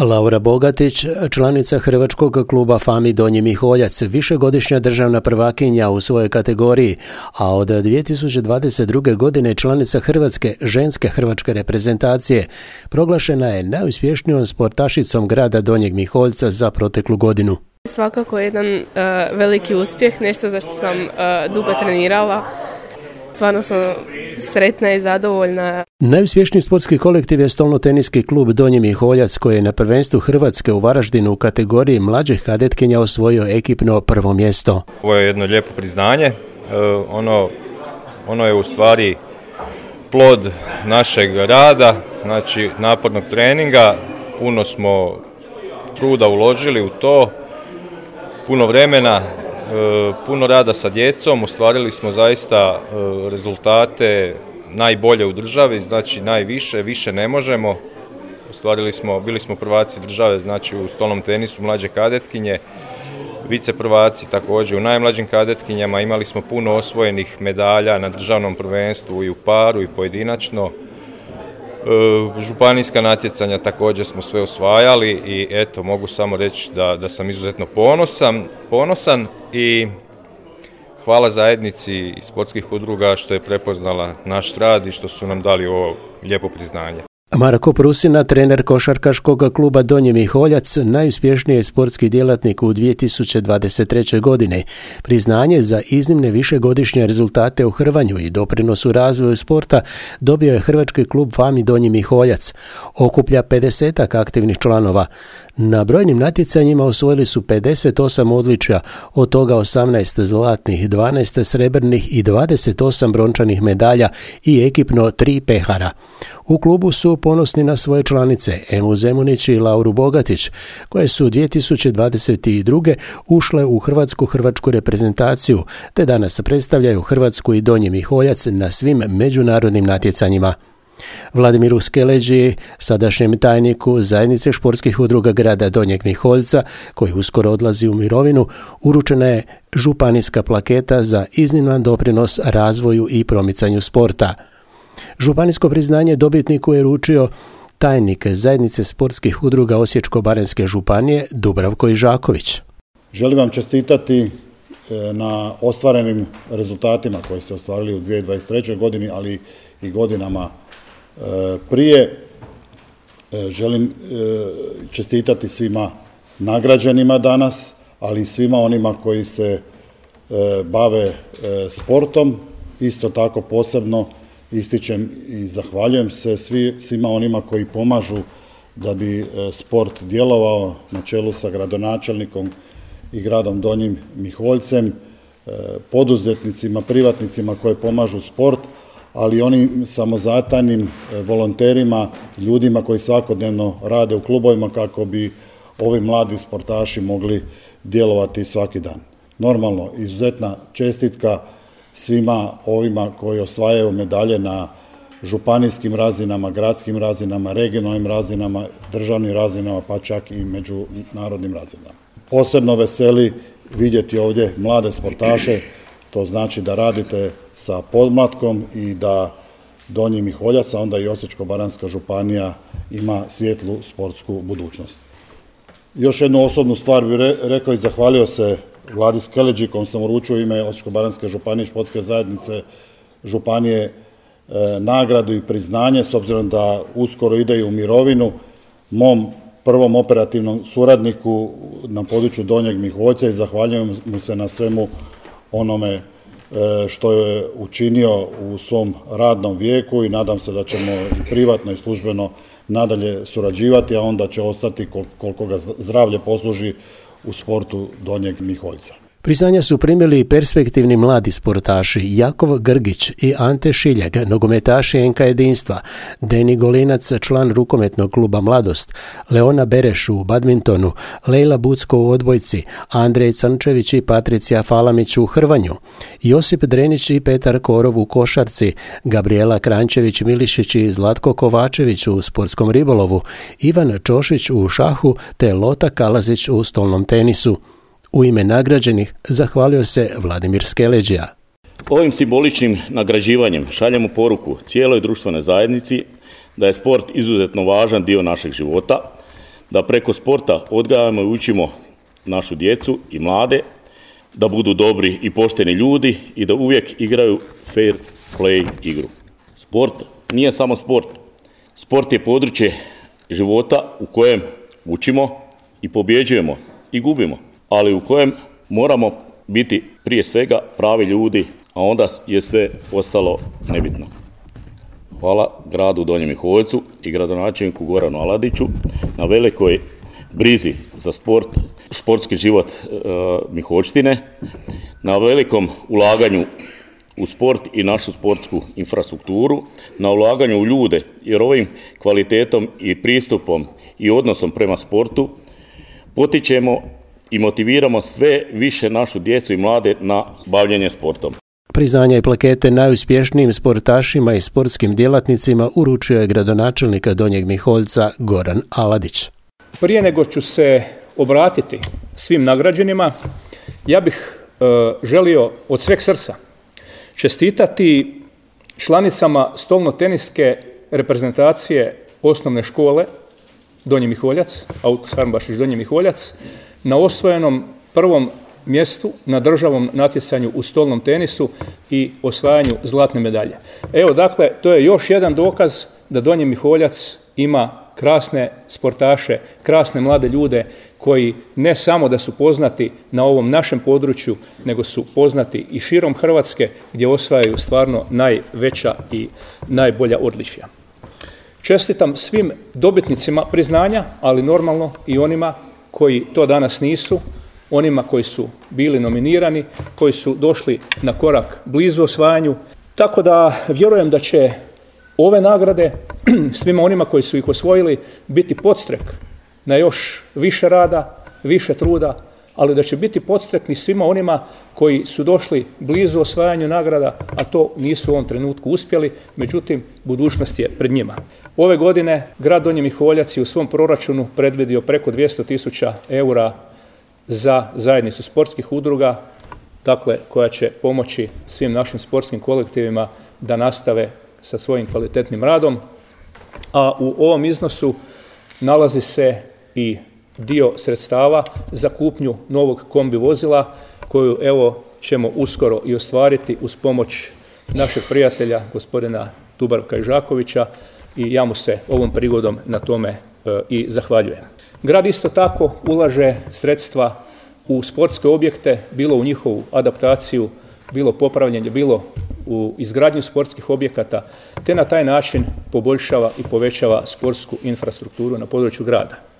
Laura Bogatić, članica hrvačkog kluba Fami Donji Miholjac, višegodišnja državna prvakinja u svojoj kategoriji, a od 2022. godine članica hrvatske ženske hrvačke reprezentacije, proglašena je najuspješnijom sportašicom grada Donjeg Miholjca za proteklu godinu. Svakako jedan veliki uspjeh, nešto za što sam dugo trenirala. Stvarno sam sretna i zadovoljna. Najuspješniji sportski kolektiv je stolnoteniski klub Donji Miholjac koji je na prvenstvu Hrvatske u Varaždinu u kategoriji mlađih kadetkinja osvojio ekipno prvo mjesto. Ovo je jedno lijepo priznanje. Ono je u stvari plod našeg rada, znači napornog treninga. Puno smo truda uložili u to, puno vremena, puno rada sa djecom, ostvarili smo zaista rezultate najbolje u državi, znači najviše, više ne možemo. Bili smo prvaci države, znači u stolnom tenisu mlađe kadetkinje, vice prvaci također u najmlađim kadetkinjama, imali smo puno osvojenih medalja na državnom prvenstvu i u paru i pojedinačno. Županijska natjecanja također smo sve osvajali i eto, mogu samo reći da sam izuzetno ponosan i hvala zajednici sportskih udruga što je prepoznala naš rad i što su nam dali ovo lijepo priznanje. Marko Prusina, trener košarkaškog kluba Donji Miholjac, najuspješniji je sportski djelatnik u 2023. godine. Priznanje za iznimne višegodišnje rezultate u hrvanju i doprinosu razvoju sporta dobio je hrvački klub Fami Donji Miholjac. Okuplja 50 aktivnih članova. Na brojnim natjecanjima osvojili su 58 odličja, od toga 18 zlatnih, 12 srebrnih i 28 brončanih medalja i ekipno 3 pehara. U klubu su ponosni na svoje članice Emu Zemunić i Lauru Bogatić, koje su 2022. ušle u hrvatsku reprezentaciju, te danas predstavljaju Hrvatsku i Donji Miholjac na svim međunarodnim natjecanjima. Vladimiru Skeleđi, sadašnjem tajniku Zajednice športskih udruga grada Donjeg Miholjca, koji uskoro odlazi u mirovinu, uručena je županijska plaketa za izniman doprinos razvoju i promicanju sporta. Županijsko priznanje dobitniku je uručio tajnik Zajednice sportskih udruga Osječko-baranjske županije Dubravko Ižaković. Želim vam čestitati na ostvarenim rezultatima koji se ostvarili u 2023. godini, ali i godinama prije. Želim čestitati svima nagrađenima danas, ali i svima onima koji se bave sportom. Isto tako posebno ističem i zahvaljujem se svima onima koji pomažu da bi sport djelovao, na čelu sa gradonačelnikom i gradom Donjim Miholjcem, poduzetnicima, privatnicima koji pomažu sport, ali i onim samozatajnim volonterima, ljudima koji svakodnevno rade u klubovima kako bi ovi mladi sportaši mogli djelovati svaki dan. Normalno, izuzetna čestitka svima ovima koji osvajaju medalje na županijskim razinama, gradskim razinama, regionalnim razinama, državnim razinama, pa čak i međunarodnim razinama. Posebno veseli vidjeti ovdje mlade sportaše, to znači da radite sa podmlatkom i da Donji Miholjac, a onda i Osječko-baranjska županija ima svijetlu sportsku budućnost. Još jednu osobnu stvar bih rekao i zahvalio se Vladi Skeleđi, kojom sam uručio ime Osječko-baranjske županije športske zajednice županije nagradu i priznanje, s obzirom da uskoro ide u mirovinu, mom prvom operativnom suradniku na području Donjeg Miholjca, i zahvaljujem mu se na svemu onome što je učinio u svom radnom vijeku i nadam se da ćemo i privatno i službeno nadalje surađivati, a onda će ostati koliko ga zdravlje posluži u sportu Donjeg Miholjca. Priznanja su primili perspektivni mladi sportaši Jakov Grgić i Ante Šiljak, nogometaši NK Jedinstva, Deni Golinac, član rukometnog kluba Mladost, Leona Bereš u badmintonu, Lejla Bucko u odbojci, Andrej Crnčević i Patricija Falamić u hrvanju, Josip Drenić i Petar Korov u košarci, Gabriela Krančević Milišić i Zlatko Kovačević u sportskom ribolovu, Ivan Čošić u šahu te Lota Kalazić u stolnom tenisu. U ime nagrađenih zahvalio se Vladimir Skeleđija. Ovim simboličnim nagrađivanjem šaljemo poruku cijeloj društvenoj zajednici da je sport izuzetno važan dio našeg života, da preko sporta odgajamo i učimo našu djecu i mlade, da budu dobri i pošteni ljudi i da uvijek igraju fair play igru. Sport nije samo sport. Sport je područje života u kojem učimo i pobjeđujemo i gubimo, ali u kojem moramo biti prije svega pravi ljudi, a onda je sve ostalo nebitno. Hvala gradu Donjem Miholjcu i gradonačelniku Goranu Aladiću na velikoj brizi za sport, športski život Miholjštine, na velikom ulaganju u sport i našu sportsku infrastrukturu, na ulaganju u ljude, jer ovim kvalitetom i pristupom i odnosom prema sportu potičemo i motiviramo sve više našu djecu i mlade na bavljenje sportom. Priznanja i plakete najuspješnijim sportašima i sportskim djelatnicima uručio je gradonačelnika Donjeg Miholjca Goran Aladić. Prije nego ću se obratiti svim nagrađenima, ja bih želio od sveg srca čestitati članicama stolno-teniske reprezentacije osnovne škole Donji Miholjac, Aukus Harmbašić Donji Miholjac, na osvojenom prvom mjestu na državnom natjecanju u stolnom tenisu i osvajanju zlatne medalje. Evo, dakle, to je još jedan dokaz da Donji Miholjac ima krasne sportaše, krasne mlade ljude koji ne samo da su poznati na ovom našem području, nego su poznati i širom Hrvatske gdje osvajaju stvarno najveća i najbolja odličja. Čestitam svim dobitnicima priznanja, ali normalno i onima koji to danas nisu, onima koji su bili nominirani, koji su došli na korak blizu osvajanju. Tako da vjerujem da će ove nagrade svima onima koji su ih osvojili biti podstrek na još više rada, više truda, ali da će biti podstrek i svima onima koji su došli blizu osvajanju nagrada, a to nisu u ovom trenutku uspjeli, međutim, budućnost je pred njima. Ove godine grad Donji Miholjac je u svom proračunu predvidio preko 200.000 eura za zajednicu sportskih udruga, dakle, koja će pomoći svim našim sportskim kolektivima da nastave sa svojim kvalitetnim radom, a u ovom iznosu nalazi se i dio sredstava za kupnju novog kombi vozila koju evo ćemo uskoro i ostvariti uz pomoć našeg prijatelja gospodina Dubravka Ižakovića i ja mu se ovom prigodom na tome i zahvaljujem. Grad isto tako ulaže sredstva u sportske objekte, bilo u njihovu adaptaciju, bilo popravljanje, bilo u izgradnju sportskih objekata, te na taj način poboljšava i povećava sportsku infrastrukturu na području grada.